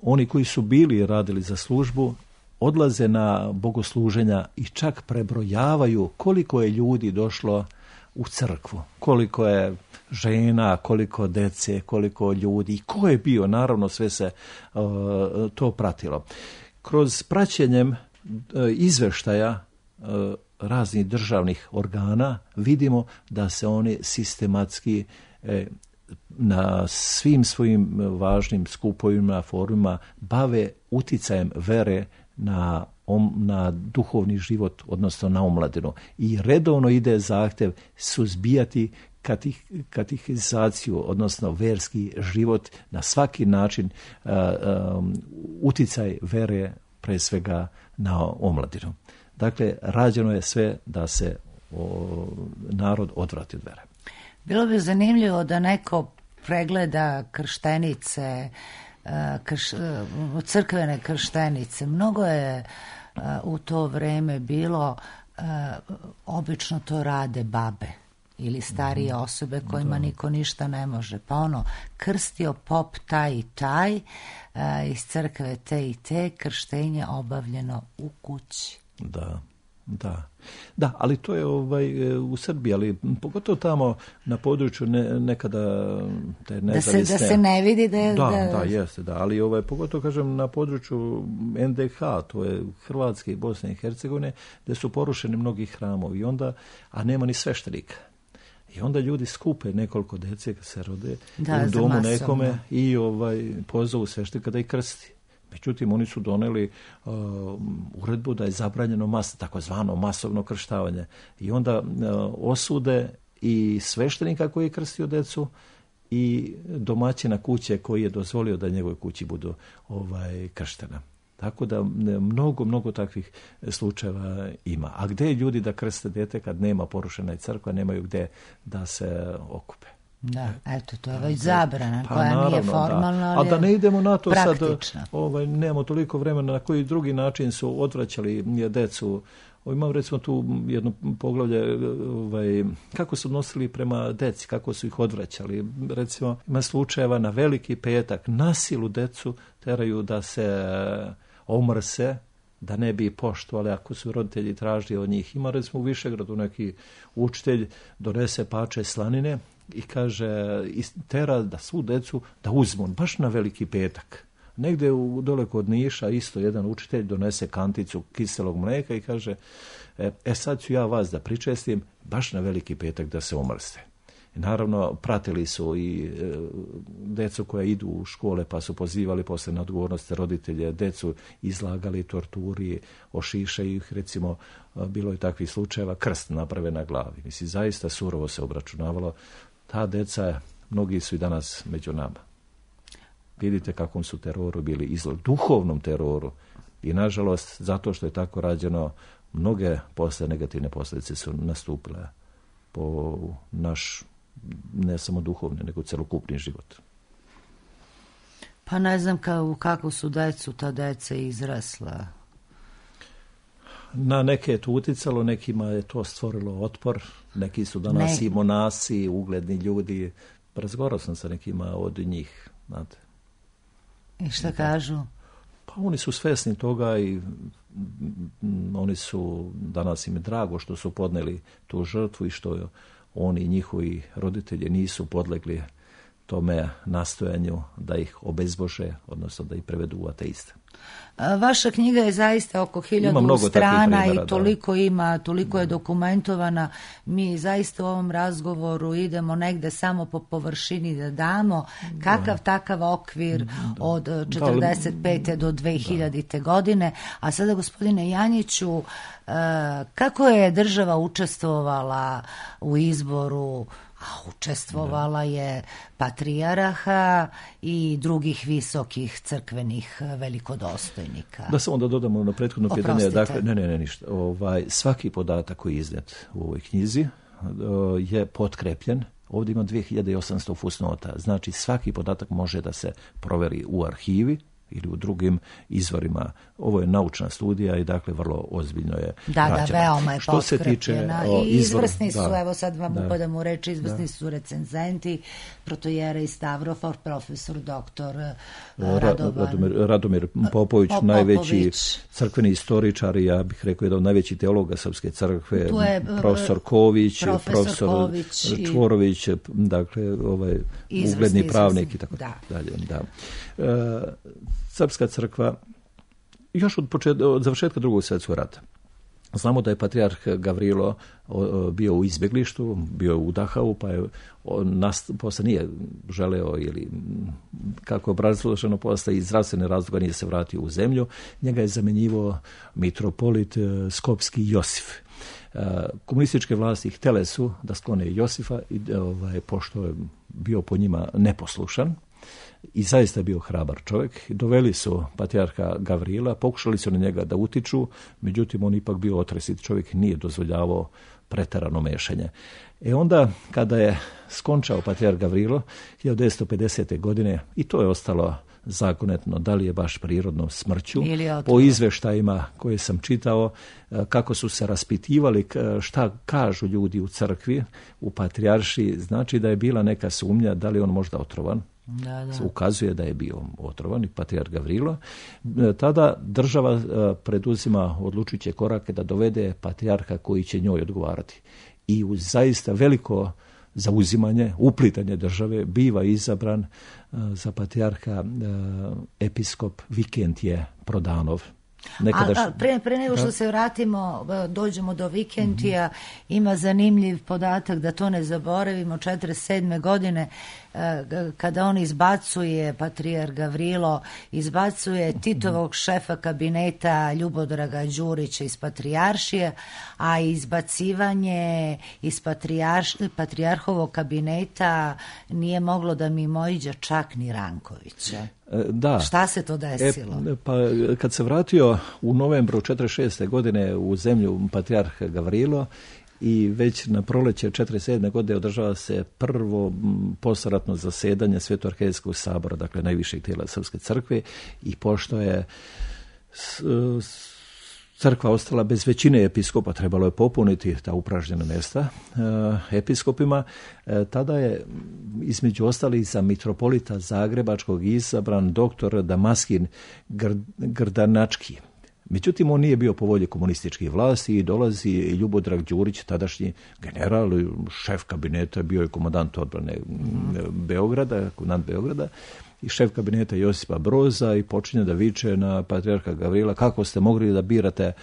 oni koji su bili i radili za službu odlaze na bogosluženja i čak prebrojavaju koliko je ljudi došlo u crkvu, koliko je žena, koliko dece, koliko ljudi i ko je bio, naravno sve se uh, to pratilo. Kroz praćenjem uh, izveštaja uh, raznih državnih organa vidimo da se oni sistematski eh, na svim svojim važnim skupovima, forumima bave uticajem vere na, om, na duhovni život, odnosno na omladinu. I redovno ide zahtjev suzbijati katih, katehizaciju, odnosno verski život, na svaki način uh, um, uticaj vere pre svega na omladinu. Dakle, rađeno je sve da se o, narod odvrati od vere. Bilo bi zanimljivo da neko pregleda krštenice, krš, crkvene krštenice. Mnogo je u to vreme bilo, obično to rade babe ili starije osobe kojima niko ništa ne može. Pa ono, krstio pop taj i taj, iz crkve te i te, krštenje obavljeno u kući. Da. Da, da, ali to je ovaj, u Srbiji, ali pogotovo tamo na području ne, nekada te nezavisne... Da se, da se ne vidi da je... Da, da, da, jeste, da, ali ovaj, pogotovo kažem na području en de ha, to je Hrvatske i Bosne i Hercegovine, gdje su porušeni mnogi hramovi, onda, a nema ni sveštenika. I onda ljudi skupe nekoliko dece kad se rode da, u domu nekome i ovaj, pozovu sveštenika da ih krsti. Međutim, oni su doneli uh, uredbu da je zabranjeno mas, takozvano masovno krštavanje. I onda uh, osude i sveštenika koji je krstio decu i domaćina kuće koji je dozvolio da njegove kući budu ovaj, krštena. Tako da mnogo, mnogo takvih slučajeva ima. A gdje ljudi da krste dete kad nema porušena i crkva, nemaju gdje da se okupe. Da, eto, to je već zabrana pa, koja naravno, nije formalna, ali a da ne idemo na to praktična. Sad, ovaj, nemamo toliko vremena na koji drugi način su odvraćali decu. Imam recimo tu jedno poglavlje, ovaj, kako su odnosili prema deci, kako su ih odvraćali. Recimo, ima slučajeva na Veliki petak, na silu decu teraju da se omrse, da ne bi poštovali ako su roditelji tražili od njih. Ima recimo u Višegradu neki učitelj donese pače slanine i kaže, tera da svu decu da uzmu, baš na Veliki petak. Negdje u dole kod Niša isto jedan učitelj donese kanticu kiselog mlijeka i kaže, e, e sad ću ja vas da pričestim, baš na Veliki petak da se omrste. I naravno, pratili su i e, decu koja idu u škole pa su pozivali posle na odgovornost roditelje, decu izlagali torturi, ošišaju ih, recimo, bilo je takvih slučajeva, krst naprave na glavi. Mislim, zaista surovo se obračunavalo. Ta deca, mnogi su i danas među nama. Vidite kakvom su teroru bili izloženi, duhovnom teroru. I nažalost, zato što je tako rađeno, mnoge posle negativne posljedice su nastupile po naš, ne samo duhovni, nego celokupni život. Pa ne znam kao, kako su decu ta deca izrasla. Na neke je to uticalo, nekima je to stvorilo otpor, neki su danas ne. i monasi, ugledni ljudi. Razgovarao sam sa nekima od njih, znate. I šta kažu? Pa oni su svjesni toga i oni su, danas im je drago što su podneli tu žrtvu i što oni i njihovi roditelji nisu podlegli tome nastojanju da ih obezbože, odnosno da ih prevedu u ateiste. Vaša knjiga je zaista oko hiljadu strana primjera, i toliko da. ima, toliko je dokumentovana. Mi zaista u ovom razgovoru idemo negde samo po površini da damo kakav da. takav okvir da. od četrdeset pete do dve hiljadite. Da. godine. A sada, gospodine Janjiću, kako je država učestvovala u izboru? A učestvovala je patrijaraha i drugih visokih crkvenih velikodoba. dostojnika. Da samo da dodamo na prethodno pitanje. Oprostite. Dakle, ne, ne, ne, ništa. Ovaj, svaki podatak koji je iznet u ovoj knjizi je potkrepljen. Ovdje ima dvije hiljade osamsto fusnota. Znači, svaki podatak može da se proveri u arhivi ili u drugim izvorima. Ovo je naučna studija i dakle vrlo ozbiljno je da, rađena. Da, veoma je što se tiče o, i izvrsni izvor, su, da, evo sad vam da, upadam u reči, izvrsni da. su recenzenti, protojera i Stavrofor, profesor doktor Radovan, Radomir, Radomir Popović, Popović, najveći crkveni istoričar, ja bih rekao jedan od najvećih teologa Srpske crkve, je, profesor Ković, profesor, profesor Ković Čvorović, i, dakle ovaj ugledni pravnik i tako da. dalje. Da. E, Srpska crkva još od, počet, od završetka drugog svjetskog rata. Znamo da je patrijarh Gavrilo bio u izbjeglištu, bio u Dahavu, pa je nas, posle nije želeo ili kako je obrazloženo posle iz zdravstvene razloga nije se vratio u zemlju. Njega je zamjenjivao mitropolit Skopski Josif. Komunističke vlasti htjele su da sklone Josifa, i, ovaj, pošto je bio po njima neposlušan, i zaista je bio hrabar čovjek. Doveli su patrijarha Gavrila, pokušali su na njega da utiču, međutim on ipak bio otresit čovjek, nije dozvoljavao preterano mešanje. E onda, kada je skončao patrijarh Gavrilo, hiljadu devetsto pedesete. godine, i to je ostalo zakonetno, da li je baš prirodnom smrću, po izveštajima koje sam čitao, kako su se raspitivali, šta kažu ljudi u crkvi, u patrijaršiji, znači da je bila neka sumnja da li on možda otrovan. Da, da. Ukazuje da je bio otrovan i patrijarh Gavrilo. Tada država preduzima odlučujuće korake da dovede patrijarha koji će njoj odgovarati. I uz zaista veliko zauzimanje, uplitanje države, biva izabran za patrijarha episkop Vikentije Prodanov. Nekadaš... A, a pre, pre nego što se vratimo, dođemo do Vikentija, mm-hmm. ima zanimljiv podatak da to ne zaboravimo, četrdeset sedme. godine kada on izbacuje, patrijarh Gavrilo izbacuje Titovog šefa kabineta Ljubodraga Đurića iz patrijaršije, a izbacivanje iz patrijarš, patrijarhovog kabineta nije moglo da mimoiđe čak ni Rankovića. Da. Šta se to desilo? E, pa kad se vratio u novembru četrdeset šeste. godine u zemlju patrijarh Gavrilo, i već na proleće četrdeset sedme. godine održava se prvo posleratno zasedanje Svetoarhijskog sabora, dakle najvišeg tijela Srpske crkve, i pošto je s, s, crkva ostala bez većine episkopa, trebalo je popuniti ta upražnjena mjesta e, episkopima, e, tada je između ostalih za mitropolita Zagrebačkog izabran doktor Damaskin Gr, Grdanački. Međutim, on nije bio po volji komunističkih vlasti i dolazi Ljubodrag Đurić, tadašnji general, šef kabineta, bio je komandant odbrane Beograda, komandant Beograda, i šef kabineta Josipa Broza, i počinje da viče na patrijarha Gavrila: kako ste mogli da birate e,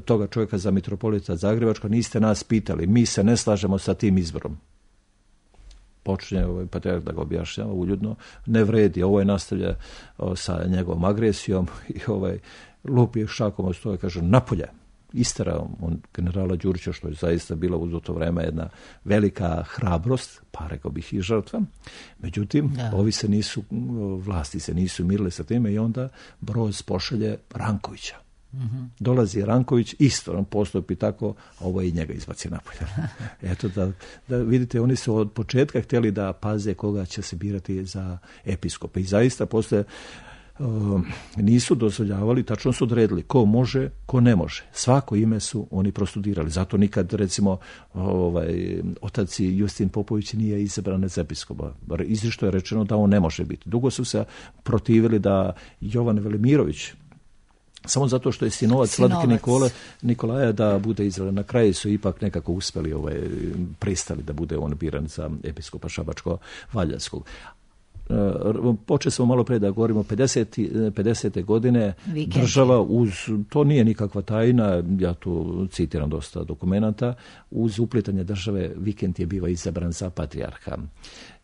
toga čovjeka za mitropolita Zagrebačka, niste nas pitali, mi se ne slažemo sa tim izborom. Počinje ovaj patrijarh da ga objašnjava uljudno: ne vredi, ovo je nastavlja o, sa njegovom agresijom, i ovaj lupi šakom od stoje, kaže: napolje. Isterao on generala Đurića, što je zaista bila u to vreme jedna velika hrabrost, pa rekao bih i žrtva. Međutim, da. ovi se nisu, vlasti se nisu mirile sa time, i onda Broz pošalje Rankovića. Mm-hmm. Dolazi Ranković, isto on postupi tako, a ovo i njega izbaci napolje. Eto, da, da vidite, oni su od početka htjeli da paze koga će se birati za episkope. I zaista posle Uh, nisu dozvoljavali, tačno su odredili ko može, ko ne može. Svako ime su oni prostudirali. Zato nikad, recimo, ovaj, otac Justin Popović nije izabran za episkopa. Izričito je rečeno da on ne može biti. Dugo su se protivili da Jovan Velimirović, samo zato što je sinovac Vladike Nikole, Nikolaja, da bude izabran. Na kraju su ipak nekako uspeli, ovaj, pristali da bude on biran za episkopa Šabačko-Valjavskog. Uh, počeli smo malo pre da govorimo pedesete. godine Vikend. Država uz, to nije nikakva tajna, ja tu citiram dosta dokumenata, uz uplitanje države Vikend je biva izabran za patrijarha.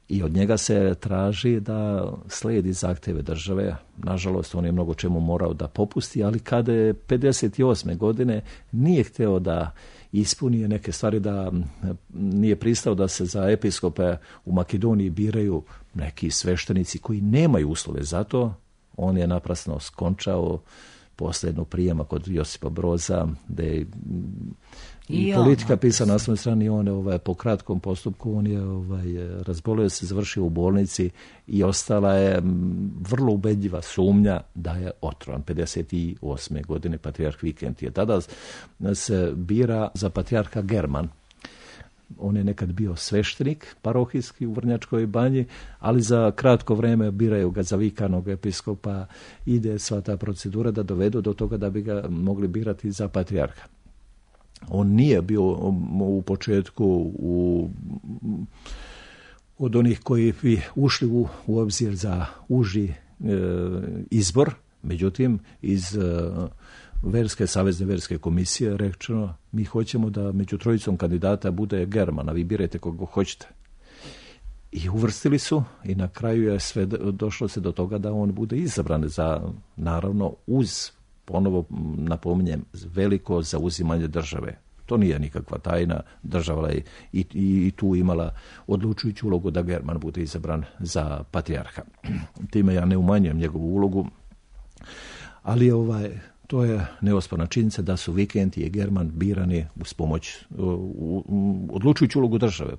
I od njega se traži da slijedi zahtjeve države. Nažalost, on je mnogo čemu morao da popusti, ali kada je pedeset osme. godine nije hteo da ispunije neke stvari, da nije pristao da se za episkope u Makedoniji biraju neki sveštenici koji nemaju uslove za to, on je naprasno skončao posljednu prijema kod Josipa Broza, da je i, I politika pisana na svojoj strani. On je ovaj, po kratkom postupku on je ovaj, razbolio se, završio u bolnici i ostala je vrlo ubedljiva sumnja da je otrovan. pedeset osme godine patrijarh Vikentije. Tada se bira za patrijarha German. On je nekad bio sveštenik parohijski u Vrnjačkoj banji, ali za kratko vreme biraju ga za vikanog episkopa. Ide sva ta procedura da dovedu do toga da bi ga mogli birati za patrijarha. On nije bio u početku u, od onih koji bi ušli u, u obzir za uži e, izbor, međutim iz e, Verske, Savezne verske komisije rečeno, mi hoćemo da među trojicom kandidata bude German, a vi birajte koga hoćete. I uvrstili su i na kraju je sve došlo se do toga da on bude izabran za, naravno, uz, ponovo napominjem, veliko zauzimanje države. To nije nikakva tajna, država je i, i, i tu imala odlučujuću ulogu da German bude izabran za patrijarha. Time ja ne umanjujem njegovu ulogu, ali ovaj... To je neosporna činjenica da su Vikentije i German birani uz pomoć, u, u, odlučujuću ulogu države.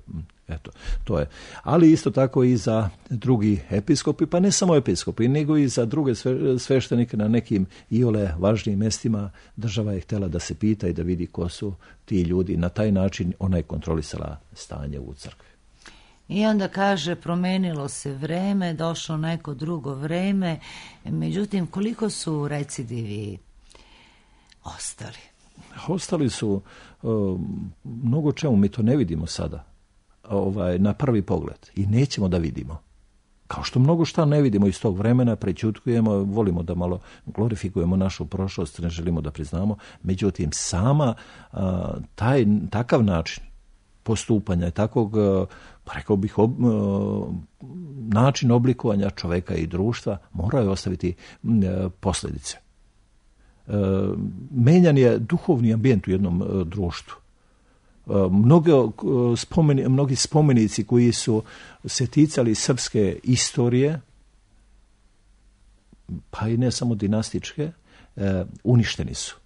Eto, to je. Ali isto tako i za drugi episkopi, pa ne samo episkopi, nego i za druge sve, sveštenike na nekim iole važnijim mjestima. Država je htjela da se pita i da vidi ko su ti ljudi. Na taj način ona je kontrolisala stanje u crkvi. I onda kaže, promenilo se vreme, došlo neko drugo vreme, međutim, koliko su recidivi ostali? Ostali su uh, mnogo čemu, mi to ne vidimo sada ovaj, na prvi pogled i nećemo da vidimo. Kao što mnogo šta ne vidimo iz tog vremena, prećutkujemo, volimo da malo glorifikujemo našu prošlost, ne želimo da priznamo, međutim sama uh, taj, takav način postupanja, takvog, uh, pa rekao bih, ob, uh, način oblikovanja čoveka i društva moraju ostaviti uh, posljedice. Uh, menjan je duhovni ambijent u jednom uh, društvu. Uh, mnoge, uh, spomeni, mnogi spomenici koji su se ticali srpske istorije, pa i ne samo dinastičke, uh, uništeni su.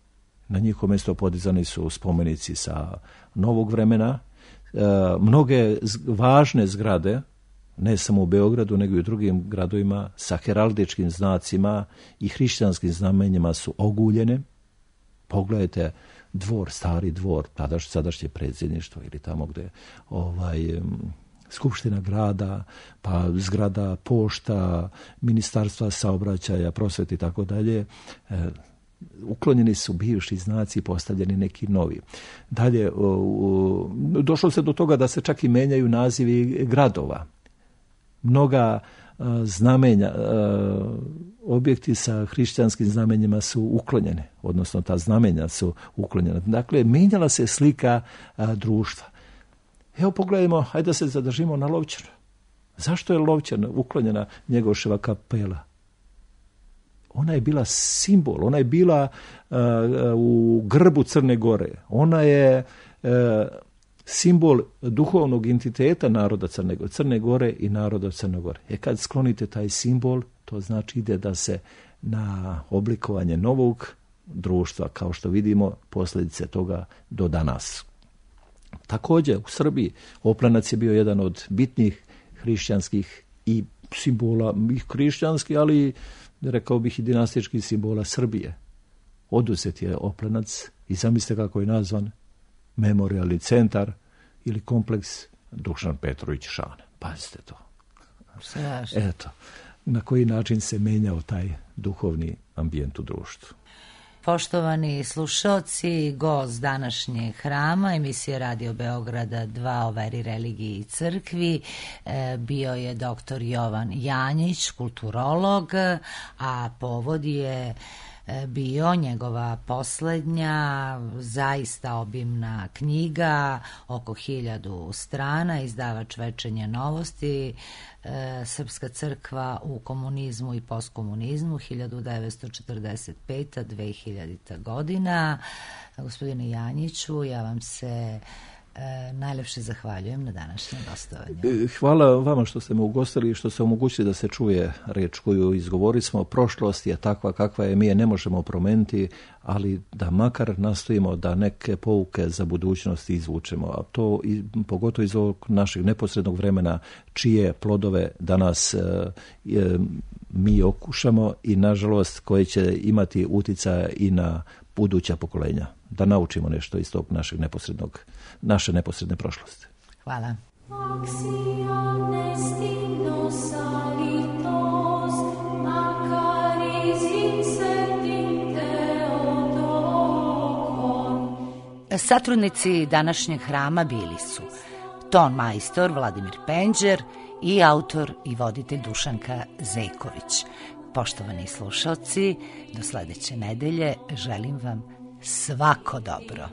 Na njihovo mjesto podizani su spomenici sa novog vremena. Uh, mnoge z- važne zgrade, ne samo u Beogradu, nego i u drugim gradovima, sa heraldičkim znacima i hrišćanskim znamenjima su oguljene. Pogledajte dvor, stari dvor, tadaš, sadašnje predsjedništvo ili tamo gde ovaj, skupština grada, pa zgrada pošta, ministarstva saobraćaja, prosvete i tako dalje. Uklonjeni su bivši znaci i postavljeni neki novi. Dalje, došlo se do toga da se čak i menjaju nazivi gradova. Mnoga uh, znamenja, uh, objekti sa hrišćanskim znamenjima su uklonjene, odnosno ta znamenja su uklonjena. Dakle, mijenjala se slika uh, društva. Evo pogledajmo, hajde da se zadržimo na Lovćanu. Zašto je Lovćan uklonjena Njegoševa kapela? Ona je bila simbol, ona je bila uh, u grbu Crne Gore. Ona je uh, simbol duhovnog entiteta naroda Crne Gore, Crne Gore i naroda Crne Gore. E kad sklonite taj simbol, to znači ide da se na oblikovanje novog društva, kao što vidimo, posljedice toga do danas. Također u Srbiji Oplenac je bio jedan od bitnih hrišćanskih i simbola, i hrišćanskih, ali rekao bih i dinastičkih simbola Srbije. Oduzet je Oplenac i zamislite kako je nazvan, memorijalni centar ili kompleks Dušan Petrović Šane. Pazite to. Strašno. Eto, na koji način se menjao taj duhovni ambijent u društvu. Poštovani slušalci, gost današnjeg hrama, emisije Radio Beograda dva o veri, religiji i crkvi, bio je doktor Jovan Janjić, kulturolog, a povod je bio njegova posljednja, zaista obimna knjiga, oko hiljadu strana, izdavač Večernje novosti, e, Srpska crkva u komunizmu i postkomunizmu, hiljadu devetsto četrdeset peta do dve hiljadita godina. Gospodine Janjiću, ja vam se E, najlepše zahvaljujem na današnjem gostovanju. Hvala vama što ste me ugostili i što ste omogućili da se čuje reč koju izgovorili smo. Prošlost je takva kakva je, mi je ne možemo promeniti, ali da makar nastojimo da neke pouke za budućnost izvučemo. A to i, pogotovo iz ovog našeg neposrednog vremena, čije plodove danas e, e, mi okušamo i nažalost koje će imati utjecaja i na buduća pokolenja. Da naučimo nešto iz tog našeg neposrednog, naše neposredne prošlosti. Hvala. Satrudnici današnjeg hrama bili su ton majstor Vladimir Penđer i autor i voditelj Dušanka Zejković. Poštovani slušalci, do sledeće nedelje želim vam svako dobro.